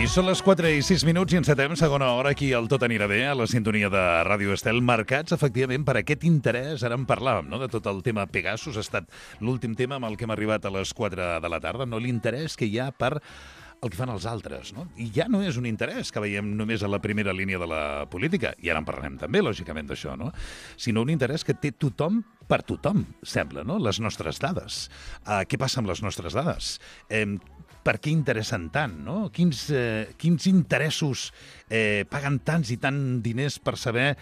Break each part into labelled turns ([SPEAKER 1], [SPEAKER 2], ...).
[SPEAKER 1] I són les 4:06 i encetem segona hora aquí al Tot anirà bé, a la sintonia de Ràdio Estel, marcats efectivament per aquest interès. Ara en parlàvem, no?, de tot el tema Pegasus. Ha estat l'últim tema amb el que hem arribat a les 4 de la tarda, no? L'interès que hi ha per el que fan els altres, no? I ja no és un interès que veiem només a la primera línia de la política, i ara en parlarem també, lògicament, d'això, no? Sinó un interès que té tothom per tothom, sembla, no? Les nostres dades. Què passa amb les nostres dades? Per què interessen tant, no? Quins interessos paguen tants i tant diners per saber,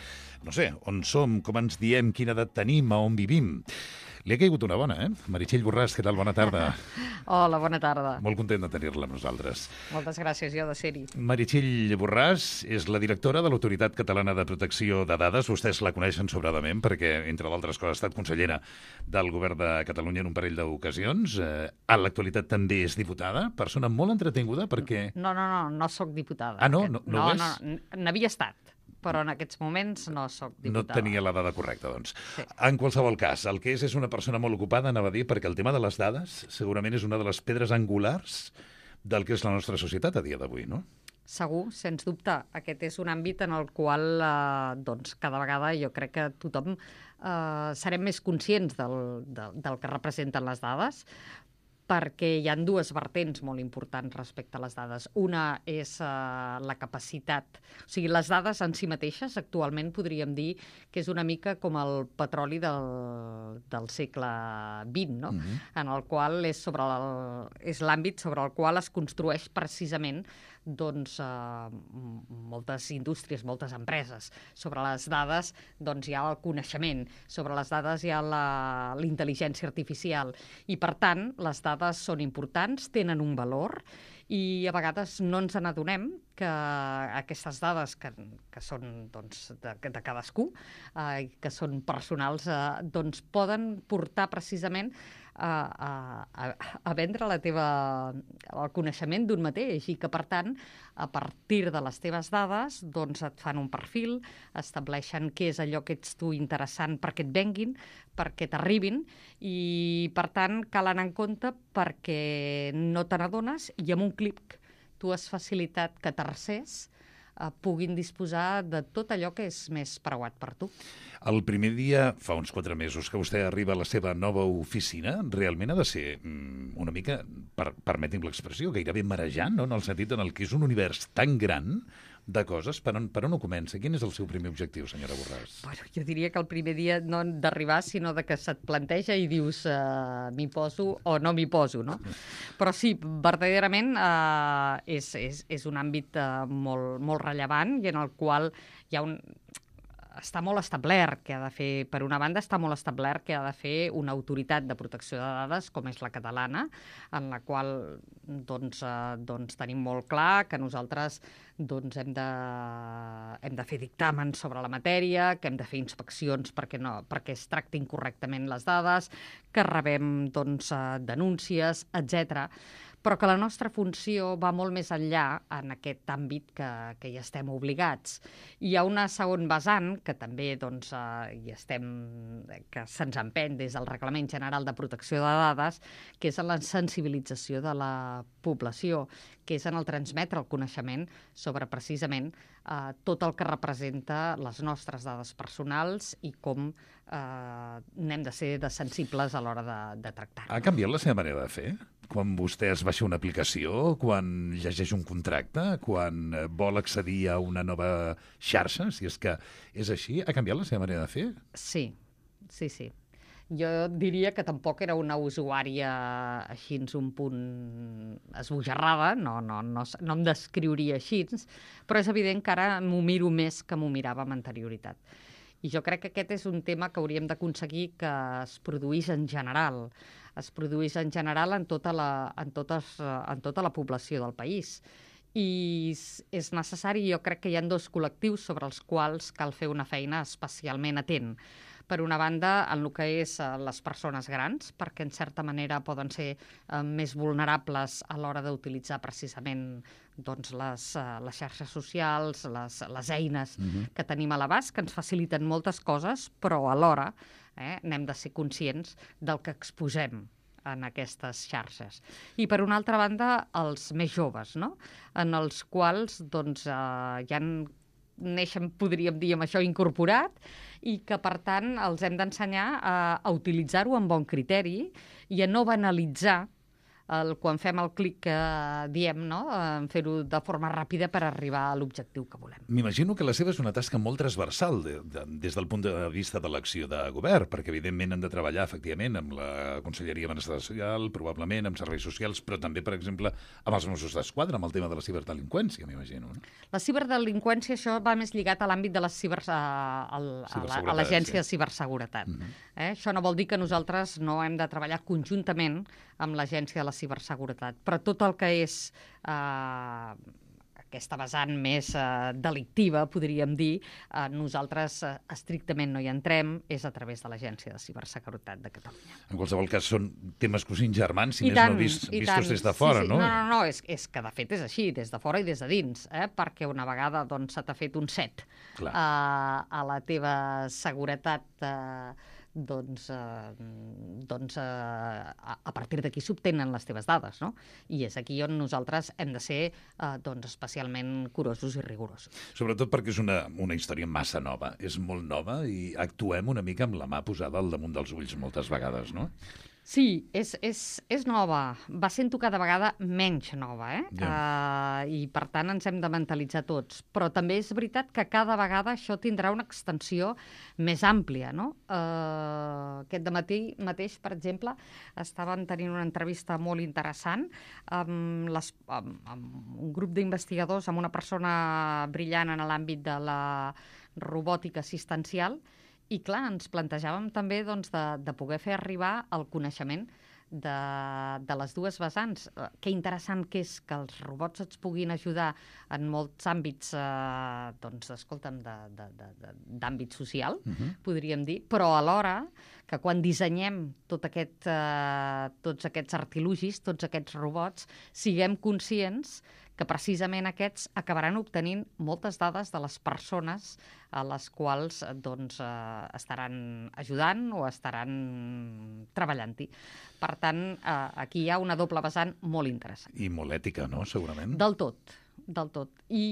[SPEAKER 1] no sé, on som, com ens diem, quina edat tenim, a on vivim? Li ha caigut una bona, Meritxell Borràs, què tal? Bona tarda.
[SPEAKER 2] Hola, bona tarda.
[SPEAKER 1] Molt content de tenir-la amb nosaltres.
[SPEAKER 2] Moltes gràcies, jo de ser-hi.
[SPEAKER 1] Meritxell Borràs és la directora de l'Autoritat Catalana de Protecció de Dades. Vostès la coneixen sobradament perquè, entre d'altres coses, ha estat consellera del Govern de Catalunya en un parell d'ocasions. A l'actualitat també és diputada, persona molt entretinguda perquè...
[SPEAKER 2] No sóc diputada.
[SPEAKER 1] Ah, no? No ho és?
[SPEAKER 2] No, n'havia estat, però en aquests moments no sóc diputada.
[SPEAKER 1] No tenia la dada correcta, doncs.
[SPEAKER 2] Sí.
[SPEAKER 1] En qualsevol cas, el que és una persona molt ocupada, anava a dir, perquè el tema de les dades segurament és una de les pedres angulars del que és la nostra societat a dia d'avui, no?
[SPEAKER 2] Segur, sens dubte. Aquest és un àmbit en el qual doncs, cada vegada jo crec que tothom serem més conscients del que representen les dades, perquè hi ha dues vertents molt importants respecte a les dades. Una és la capacitat. O sigui, les dades en si mateixes, actualment podríem dir que és una mica com el petroli del segle XX, no? En el qual és l'àmbit sobre el qual es construeix precisament doncs, moltes indústries, moltes empreses. Sobre les dades doncs, hi ha el coneixement, sobre les dades hi ha la intel·ligència artificial i, per tant, les dades són importants, tenen un valor i a vegades no ens n'adonem que aquestes dades que són doncs, de cadascú, que són personals, doncs poden portar precisament a vendre el coneixement d'un mateix i que, per tant, a partir de les teves dades doncs et fan un perfil, estableixen què és allò que ets tu interessant perquè et venguin, perquè t'arribin i, per tant, cal anar en compte perquè no te n'adones i amb un clic tu has facilitat que tercers puguin disposar de tot allò que és més preuat per tu.
[SPEAKER 1] El primer dia, fa uns 4 mesos, que vostè arriba a la seva nova oficina, realment ha de ser una mica, permeti'm l'expressió, gairebé marejant, no? En el sentit en el que és un univers tan gran de coses. Per on ho comença? Quin és el seu primer objectiu, senyora Borràs?
[SPEAKER 2] Bueno, jo diria que el primer dia no d'arribar, sinó de que se't planteja i dius m'hi poso o no m'hi poso, no? Però sí, verdaderament és un àmbit molt rellevant i en el qual hi ha està molt establert que ha de fer, per una banda, està molt establert que ha de fer una autoritat de protecció de dades, com és la catalana, en la qual doncs tenim molt clar que nosaltres doncs, hem de fer dictàmens sobre la matèria, que hem de fer inspeccions perquè es tractin correctament les dades, que rebem doncs, denúncies, etc. Però que la nostra funció va molt més enllà en aquest àmbit que hi estem obligats. Hi ha una segon vessant que també doncs, que se'ns empeny des del Reglament General de Protecció de Dades, que és en la sensibilització de la població, que és en el transmetre el coneixement sobre precisament tot el que representa les nostres dades personals i com n'hem de ser sensibles a l'hora de tractar.
[SPEAKER 1] Ha canviat la seva manera de fer? Quan vostè es baixa una aplicació, quan llegeix un contracte, quan vol accedir a una nova xarxa, si és que és així, ha canviat la seva manera de fer?
[SPEAKER 2] Sí. Jo diria que tampoc era una usuària així un punt esbojarrada, no em descriuria així, però és evident que ara m'ho miro més que m'ho mirava amb anterioritat. I jo crec que aquest és un tema que hauríem d'aconseguir que es produís en general. Es produís en general en tota la població del país. I és necessari, jo crec que hi ha 2 col·lectius sobre els quals cal fer una feina especialment atent. Per una banda, en el que és les persones grans, perquè en certa manera poden ser més vulnerables a l'hora d'utilitzar precisament doncs, les xarxes socials, les eines que tenim a l'abast, que ens faciliten moltes coses, però alhora n'hem de ser conscients del que exposem en aquestes xarxes. I, per una altra banda, els més joves, no? En els quals doncs, ja neixen, podríem dir, amb això incorporat, i que, per tant, els hem d'ensenyar a utilitzar-ho amb bon criteri i a no banalitzar quan fem el clic que diem, no? Fer-ho de forma ràpida per arribar a l'objectiu que volem.
[SPEAKER 1] M'imagino que la seva és una tasca molt transversal des del punt de vista de l'acció de govern, perquè evidentment han de treballar efectivament amb la Conselleria de Benestar Social, probablement amb serveis socials, però també, per exemple, amb els Mossos d'Esquadra, amb el tema de la ciberdelinqüència, m'imagino. No?
[SPEAKER 2] La ciberdelinqüència, això va més lligat a l'àmbit de la a l'Agència de Ciberseguretat. Això no vol dir que nosaltres no hem de treballar conjuntament amb l'Agència de la Ciberseguretat, però tot el que és aquesta vessant més delictiva, podríem dir, nosaltres estrictament no hi entrem, és a través de l'Agència de Ciberseguretat de Catalunya.
[SPEAKER 1] En qualsevol cas, són temes cosins germans, si més no vistos des de fora, no?
[SPEAKER 2] No, és que de fet és així, des de fora i des de dins, perquè una vegada doncs, se t'ha fet un set a la teva seguretat a partir d'aquí s'obtenen les teves dades, no? I és aquí on nosaltres hem de ser especialment curosos i rigorosos.
[SPEAKER 1] Sobretot perquè és una història massa nova, és molt nova i actuem una mica amb la mà posada al damunt dels ulls moltes vegades, no?
[SPEAKER 2] Sí, és nova. Va sent-ho cada vegada menys nova, I per tant ens hem de mentalitzar tots. Però també és veritat que cada vegada això tindrà una extensió més àmplia, no? Aquest dematí mateix, per exemple, estàvem tenint una entrevista molt interessant amb un grup d'investigadors, amb una persona brillant en l'àmbit de la robòtica assistencial. I, clar, ens plantejàvem també de poder fer arribar el coneixement de les dues vessants. Que interessant que és que els robots ens puguin ajudar en molts àmbits, d'àmbit social, podríem dir, però alhora que quan dissenyem tots aquests artilugis, tots aquests robots, siguem conscients que precisament aquests acabaran obtenint moltes dades de les persones a les quals estaran ajudant o estaran treballant-hi. Per tant, aquí hi ha una doble vessant molt interessant.
[SPEAKER 1] I molt ètica, no?, segurament.
[SPEAKER 2] Del tot. I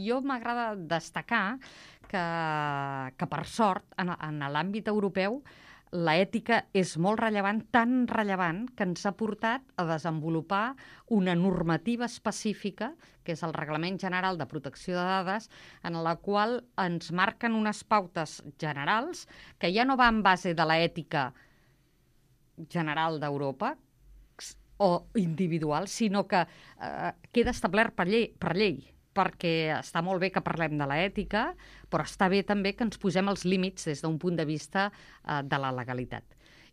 [SPEAKER 2] jo m'agrada destacar que per sort, en l'àmbit europeu, l'ètica és molt rellevant, tan rellevant que ens ha portat a desenvolupar una normativa específica, que és el Reglament General de Protecció de Dades, en la qual ens marquen unes pautes generals que ja no va en base de l'ètica general d'Europa o individual, sinó que queda establert per llei, perquè està molt bé que parlem de l'ètica, però està bé també que ens posem els límits des d'un punt de vista de la legalitat.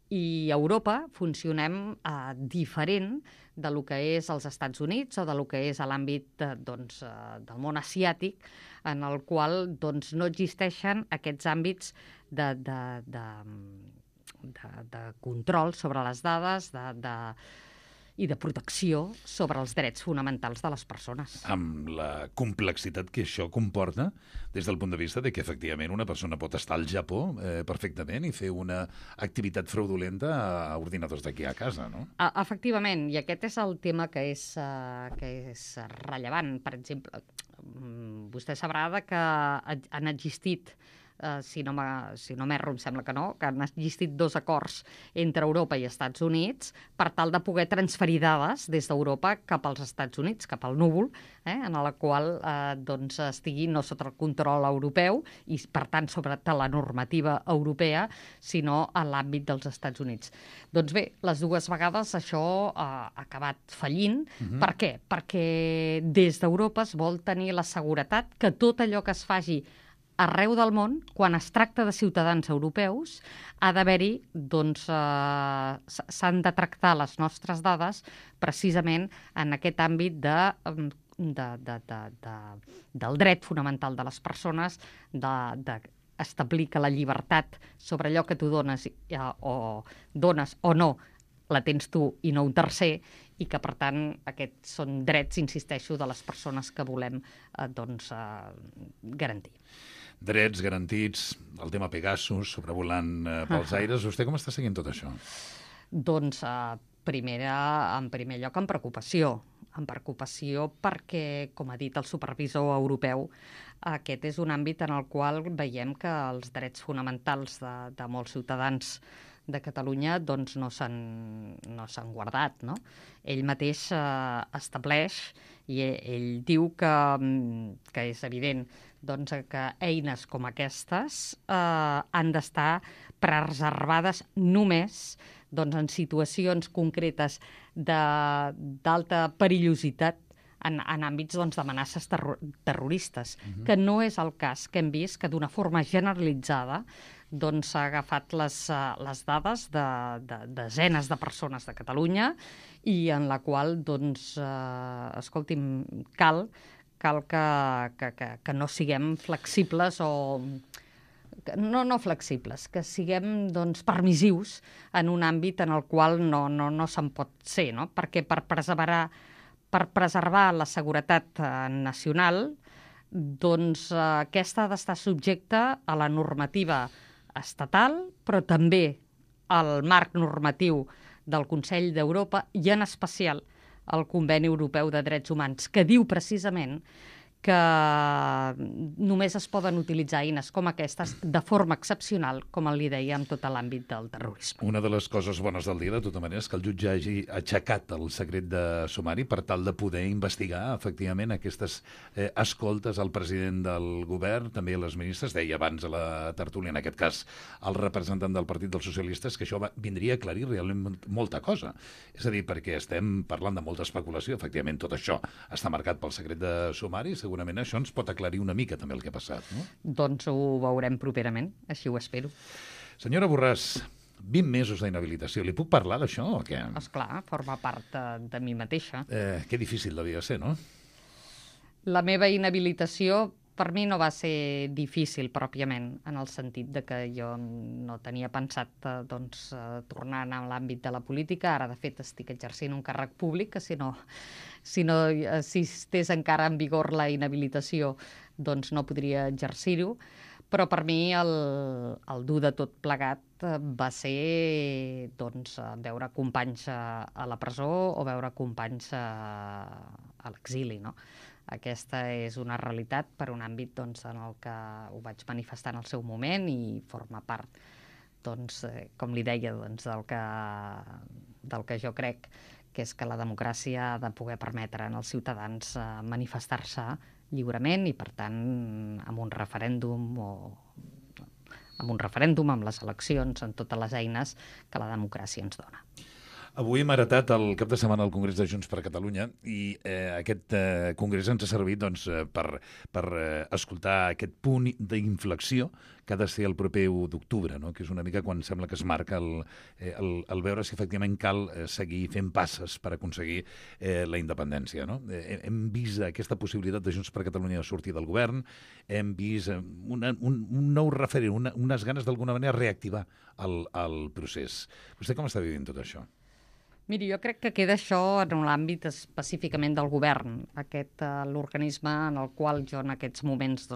[SPEAKER 2] I a Europa funcionem diferent de lo que és als Estats Units o de lo que és a l'àmbit del món asiàtic, en el qual no existeixen aquests àmbits de control sobre les dades, i de protecció sobre els drets fonamentals de les persones.
[SPEAKER 1] Amb la complexitat que això comporta des del punt de vista de que, efectivament, una persona pot estar al Japó perfectament i fer una activitat fraudulenta a ordinadors d'aquí a casa, no?
[SPEAKER 2] Efectivament, i aquest és el tema que és rellevant. Per exemple, vostè sabrà que han existit, si no m'erro, em sembla que no, que han existit 2 acords entre Europa i Estats Units per tal de poder transferir dades des d'Europa cap als Estats Units, cap al núvol, en la qual estigui no sota el control europeu i, per tant, sobre la normativa europea, sinó a l'àmbit dels Estats Units. Doncs bé, les 2 vegades això ha acabat fallint. Per què? Perquè des d'Europa es vol tenir la seguretat que tot allò que es faci arreu del món, quan es tracta de ciutadans europeus, ha d'haver-hi, s'han de tractar les nostres dades precisament en aquest àmbit del dret fonamental de les persones, d'establir que la llibertat sobre allò que tu dones o no la tens tu i no un tercer, i que, per tant, aquests són drets, insisteixo, de les persones que volem garantir.
[SPEAKER 1] Drets garantits, el tema Pegasus, sobrevolant pels aires. Vostè com està seguint tot això?
[SPEAKER 2] Doncs En primer lloc, amb preocupació. Amb preocupació perquè, com ha dit el supervisor europeu, aquest és un àmbit en el qual veiem que els drets fonamentals de molts ciutadans de Catalunya doncs, no s'han guardat. No? Ell mateix estableix i ell diu que és evident doncs, que eines com aquestes han d'estar preservades només doncs, en situacions concretes d'alta perillositat en àmbits doncs, d'amenaces terroristes, que no és el cas que hem vist que d'una forma generalitzada doncs, s'ha agafat les dades de desenes de persones de Catalunya i en la qual, doncs, escolti'm, cal que no siguem flexibles o... No flexibles, que siguem doncs, permissius en un àmbit en el qual no se'n pot ser, no? Perquè per preservar la seguretat nacional, doncs aquesta ha d'estar subjecta a la normativa estatal, però també al marc normatiu del Consell d'Europa i en especial al Conveni Europeu de Drets Humans, que diu precisament que només es poden utilitzar eines com aquestes de forma excepcional, com li deia, en tot l'àmbit del terrorisme.
[SPEAKER 1] Una de les coses bones del dia, de tota manera, és que el jutge hagi aixecat el secret de sumari per tal de poder investigar, efectivament, aquestes escoltes al president del govern, també a les ministres, deia abans a la tertúlia, en aquest cas, el representant del Partit dels Socialistes, que això vindria a aclarir realment molta cosa. És a dir, perquè estem parlant de molta especulació, efectivament, tot això està marcat pel secret de sumari, segurament això ens pot aclarir una mica també el que ha passat, no?
[SPEAKER 2] Doncs ho veurem properament, així ho espero.
[SPEAKER 1] Senyora Borràs, 20 mesos d'inhabilitació. Li puc parlar d'això o què?
[SPEAKER 2] Esclar, forma part de mi mateixa.
[SPEAKER 1] Que difícil devia ser, no?
[SPEAKER 2] La meva inhabilitació per mi no va ser difícil pròpiament, en el sentit de que jo no tenia pensat tornar a l'àmbit de la política. Ara, de fet, estic exercint un càrrec públic, que si estés encara en vigor la inhabilitació, doncs no podria exercir-ho. Però per mi el dur de tot plegat va ser veure companys a la presó o veure companys a l'exili, no? Aquesta és una realitat per un àmbit en el que ho vaig manifestar en el seu moment i forma part, com li deia, del que jo crec, que és que la democràcia ha de poder permetre als ciutadans manifestar-se lliurement i, per tant, amb un referèndum amb les eleccions, amb totes les eines que la democràcia ens dona.
[SPEAKER 1] Avui hem heretat el cap de setmana al Congrés de Junts per Catalunya i aquest congrés ens ha servit per escoltar aquest punt d'inflexió que ha de ser el proper 1 d'octubre, no? Que és una mica quan sembla que es marca el veure si efectivament cal seguir fent passes per aconseguir la independència. No? Hem vist aquesta possibilitat de Junts per Catalunya de sortir del govern, hem vist un nou referent, unes ganes d'alguna manera reactivar el procés. Vostè com està vivint tot això?
[SPEAKER 2] Miri, jo crec que queda això en l'àmbit específicament del govern, l'organisme en el qual jo en aquests moments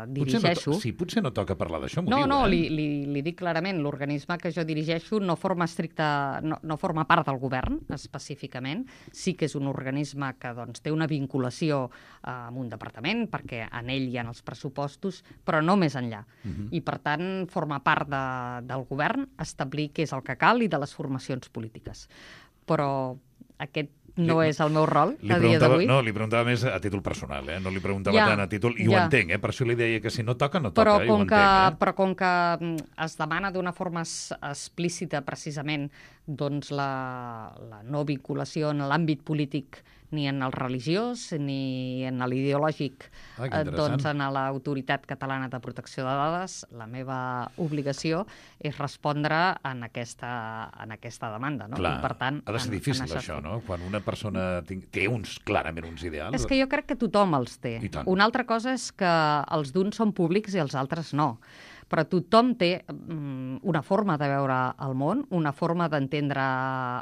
[SPEAKER 2] dirigeixo.
[SPEAKER 1] Potser no toca parlar d'això, m'ho
[SPEAKER 2] diu. No,
[SPEAKER 1] li
[SPEAKER 2] dic clarament, l'organisme que jo dirigeixo no forma part del govern, específicament. Sí que és un organisme que té una vinculació amb un departament, perquè en ell hi ha els pressupostos, però no més enllà. I, per tant, forma part del govern establir què és el que cal i de les formacions polítiques. Però aquest no és el meu rol a dia d'avui.
[SPEAKER 1] No, li preguntava més a títol personal, no li preguntava tant a títol, i ho entenc, per això li deia que si no toca, no toca, i ho entenc.
[SPEAKER 2] Però com que es demana d'una forma explícita precisament la no vinculació en l'àmbit polític ni en el religiós ni en l'ideològic en l'Autoritat Catalana de Protecció de Dades, la meva obligació és respondre en aquesta demanda. No?
[SPEAKER 1] Clar,
[SPEAKER 2] i, per tant,
[SPEAKER 1] ha de ser difícil això, no? Quan una persona té clarament uns ideals...
[SPEAKER 2] És que jo crec que tothom els té. Una altra cosa és que els d'uns són públics i els altres no. Però tothom té una forma de veure el món, una forma d'entendre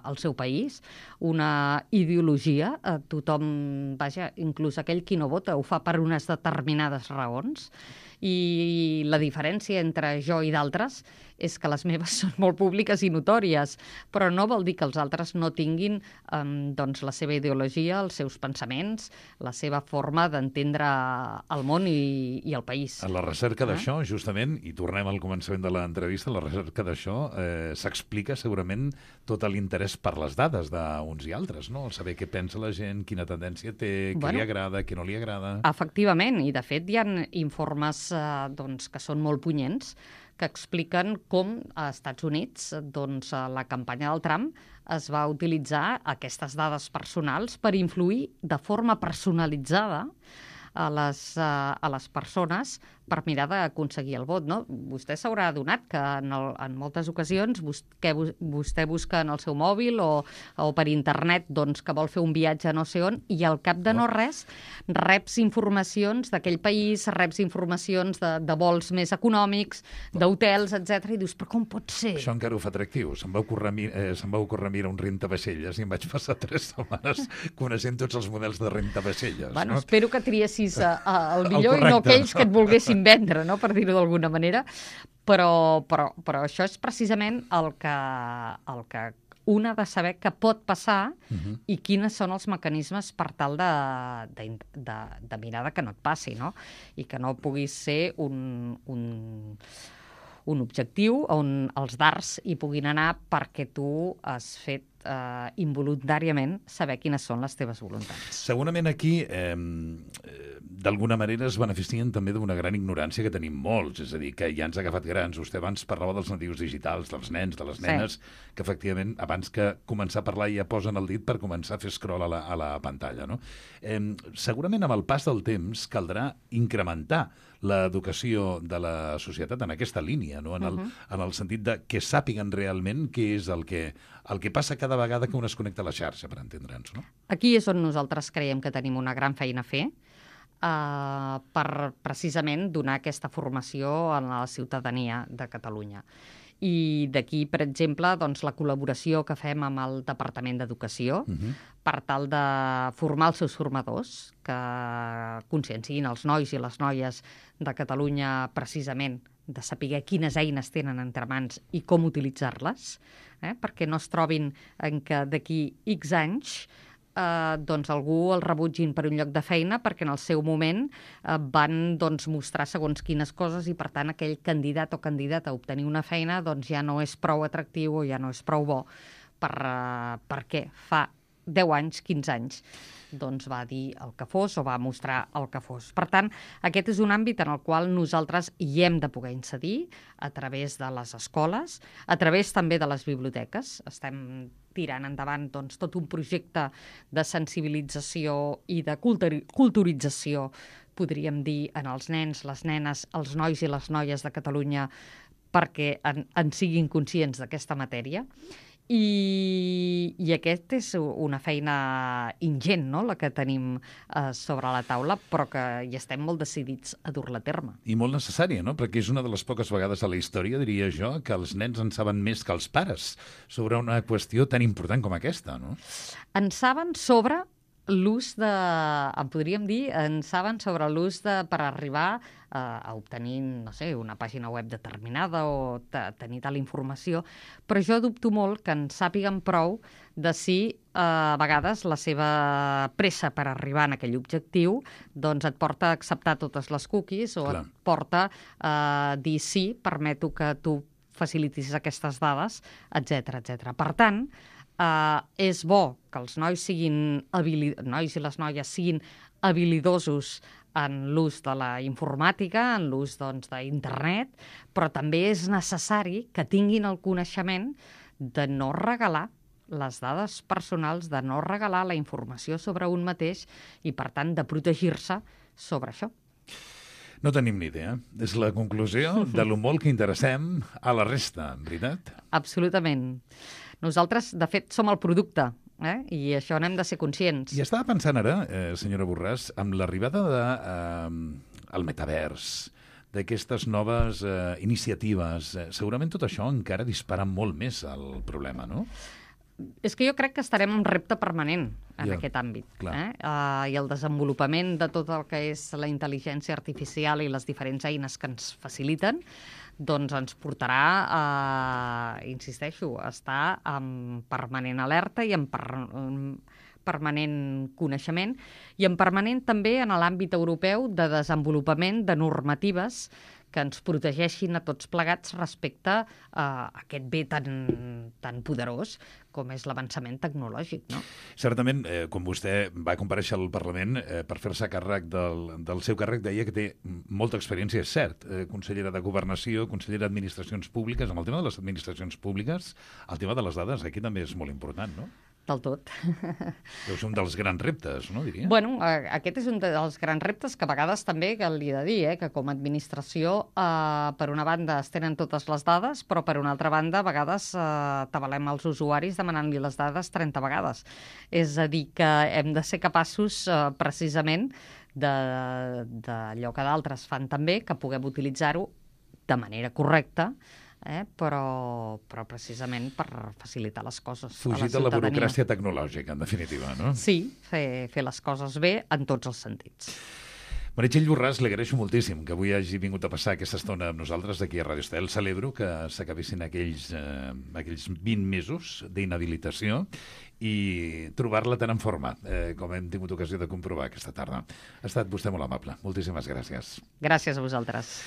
[SPEAKER 2] el seu país, una ideologia. Tothom, inclús aquell qui no vota, ho fa per unes determinades raons. I la diferència entre jo i d'altres és que les meves són molt públiques i notòries, però no vol dir que els altres no tinguin doncs la seva ideologia, els seus pensaments, la seva forma d'entendre el món i el país.
[SPEAKER 1] A la recerca d'això, justament, i tornem al començament de l'entrevista, a la recerca d'això s'explica segurament tot l'interès per les dades d'uns i altres, no? El saber què pensa la gent, quina tendència té, què li agrada, què no li agrada...
[SPEAKER 2] Efectivament, i de fet hi ha informes doncs, que són molt punyents, que expliquen com a Estats Units la campanya del Trump es va utilitzar aquestes dades personals per influir de forma personalitzada a les persones per mirar d'aconseguir el vot. No? Vostè s'haurà adonat que en moltes ocasions vostè busca en el seu mòbil o per internet doncs, que vol fer un viatge a no sé on i al cap de no res reps informacions d'aquell país, reps informacions de vols més econòmics, d'hotels, etc. I dius, però com pot ser?
[SPEAKER 1] Això encara ho fa atractiu. Se'm va ocórrer mirar un rentavaixelles i em vaig passar 3 setmanes coneixent tots els models de rentavaixelles.
[SPEAKER 2] Bueno, espero que triessis el millor i no aquells que et volguessin vendre, no? Per dir-ho d'alguna manera, però això és precisament el que un ha de saber que pot passar i quins són els mecanismes per tal de mirar que no et passi, no? I que no puguis ser un objectiu on els dards hi puguin anar perquè tu has fet involuntàriament saber quines són les teves voluntats.
[SPEAKER 1] Segurament aquí d'alguna manera es beneficien també d'una gran ignorància que tenim molts, és a dir, que ja ens ha agafat grans. Vostè abans parlava dels natius digitals, dels nens, de les nenes, que efectivament abans que començar a parlar ja posen el dit per començar a fer scroll a la pantalla, no? Segurament amb el pas del temps caldrà incrementar l'educació de la societat en aquesta línia, no? En el sentit de que sàpiguen realment què és el que passa cada vegada que un es connecta a la xarxa, per entendre'ns, no?
[SPEAKER 2] Aquí és on nosaltres creiem que tenim una gran feina a fer per precisament donar aquesta formació a la ciutadania de Catalunya. I d'aquí, per exemple, doncs, la col·laboració que fem amb el Departament d'Educació per tal de formar els seus formadors, que conscienciïn els nois i les noies de Catalunya precisament de saber quines eines tenen entre mans i com utilitzar-les, perquè no es trobin en que d'aquí X anys doncs algú el rebutgin per un lloc de feina perquè en el seu moment van doncs, mostrar segons quines coses i per tant aquell candidat o candidata a obtenir una feina doncs, ja no és prou atractiu o ja no és prou bo perquè fa 10 anys, 15 anys doncs va dir el que fos o va mostrar el que fos. Per tant, aquest és un àmbit en el qual nosaltres hi hem de poder incidir a través de les escoles, a través també de les biblioteques. Estem tirant endavant doncs, tot un projecte de sensibilització i de culturització, podríem dir, en els nens, les nenes, els nois i les noies de Catalunya perquè en siguin conscients d'aquesta matèria. I aquest és una feina ingent, no?, la que tenim sobre la taula, però que hi estem molt decidits a dur-la a terme.
[SPEAKER 1] I molt necessària, no?, perquè és una de les poques vegades a la història, diria jo, que els nens en saben més que els pares sobre una qüestió tan important com aquesta, no?
[SPEAKER 2] En saben sobre l'ús per arribar a obtenir, no sé, una pàgina web determinada o tenir tal informació, però jo dubto molt que en sàpiguen prou de si a vegades la seva pressa per arribar en aquell objectiu doncs et porta a acceptar totes les cookies o et porta a dir sí, permeto que tu facilitis aquestes dades, etc. Per tant, és bo que els nois i les noies siguin habilidosos en l'ús de la informàtica, en l'ús d'internet, però també és necessari que tinguin el coneixement de no regalar les dades personals, de no regalar la informació sobre un mateix i, per tant, de protegir-se sobre això.
[SPEAKER 1] No tenim ni idea. És la conclusió de lo molt que interessem a la resta, veritat?
[SPEAKER 2] Absolutament. Nosaltres, de fet, som el producte, i això n'hem de ser conscients.
[SPEAKER 1] I estava pensant ara, senyora Borràs, amb l'arribada del metavers, d'aquestes noves iniciatives, segurament tot això encara dispara molt més el problema, no?
[SPEAKER 2] És que jo crec que estarem en un repte permanent en
[SPEAKER 1] Ja,
[SPEAKER 2] aquest àmbit.
[SPEAKER 1] clar.
[SPEAKER 2] I el desenvolupament de tot el que és la intel·ligència artificial i les diferents eines que ens faciliten, doncs ens portarà insisteixo, a estar en permanent alerta i en permanent coneixement i en permanent també en l'àmbit europeu de desenvolupament de normatives que ens protegeixin a tots plegats respecte a aquest bé tan poderós com és l'avançament tecnològic, no?
[SPEAKER 1] Certament, quan vostè va comparèixer al Parlament per fer-se càrrec del seu càrrec, deia que té molta experiència, és cert, consellera de Governació, consellera d'Administracions Públiques. Amb el tema de les administracions públiques, el tema de les dades aquí també és molt important, no?
[SPEAKER 2] Del tot.
[SPEAKER 1] Deu ser un dels grans reptes, no, diria?
[SPEAKER 2] Bueno, aquest és un dels grans reptes que a vegades també que li he de dir, que com a administració, per una banda, es tenen totes les dades, però per una altra banda, a vegades tabalem els usuaris demanant-li les dades 30 vegades. És a dir, que hem de ser capaços, precisament, d'allò que d'altres fan també, que puguem utilitzar-ho de manera correcta, però precisament per facilitar les coses a la
[SPEAKER 1] Fugir de la
[SPEAKER 2] ciutadania.
[SPEAKER 1] burocràcia tecnològica, en definitiva, no?
[SPEAKER 2] Sí, fer les coses bé en tots els sentits.
[SPEAKER 1] Meritxell Borràs, li agraeixo moltíssim que avui hagi vingut a passar aquesta estona amb nosaltres aquí a Radio Estel. Celebro que s'acabessin aquells 20 mesos d'inhabilitació i trobar-la tan en forma, com hem tingut ocasió de comprovar aquesta tarda. Ha estat vostè molt amable. Moltíssimes gràcies.
[SPEAKER 2] Gràcies a vosaltres.